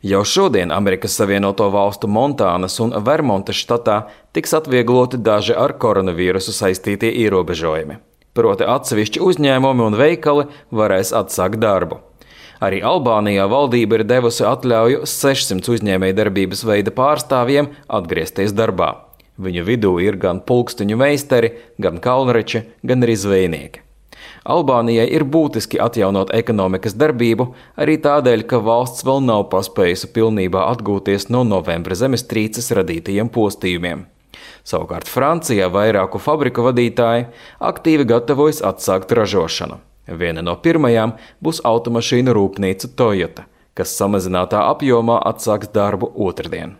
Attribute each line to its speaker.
Speaker 1: Jau šodien Amerikas Savienoto Valstu Montānas un Vermontas štatā tiks atviegloti daži ar koronavīrusu saistītie ierobežojumi. Proti atsevišķi uzņēmumi un veikali varēs atsākt darbu. Arī Albānijā valdība ir devusi atļauju 600 uzņēmējdarbības veida pārstāvjiem atgriezties darbā. Viņu vidū ir gan pulksteņu meistari, gan kalnreči, gan arī zvejnieki. Albānijai ir būtiski atjaunot ekonomikas darbību, arī tādēļ, ka valsts vēl nav paspējusi pilnībā atgūties no novembra zemestrīces radītajiem postījumiem. Savukārt Francijā vairāku fabriku vadītāji aktīvi gatavojas atsākt ražošanu. Viena no pirmajām būs automašīnu rūpnīca Toyota, kas samazinātā apjomā atsāks darbu otrdien.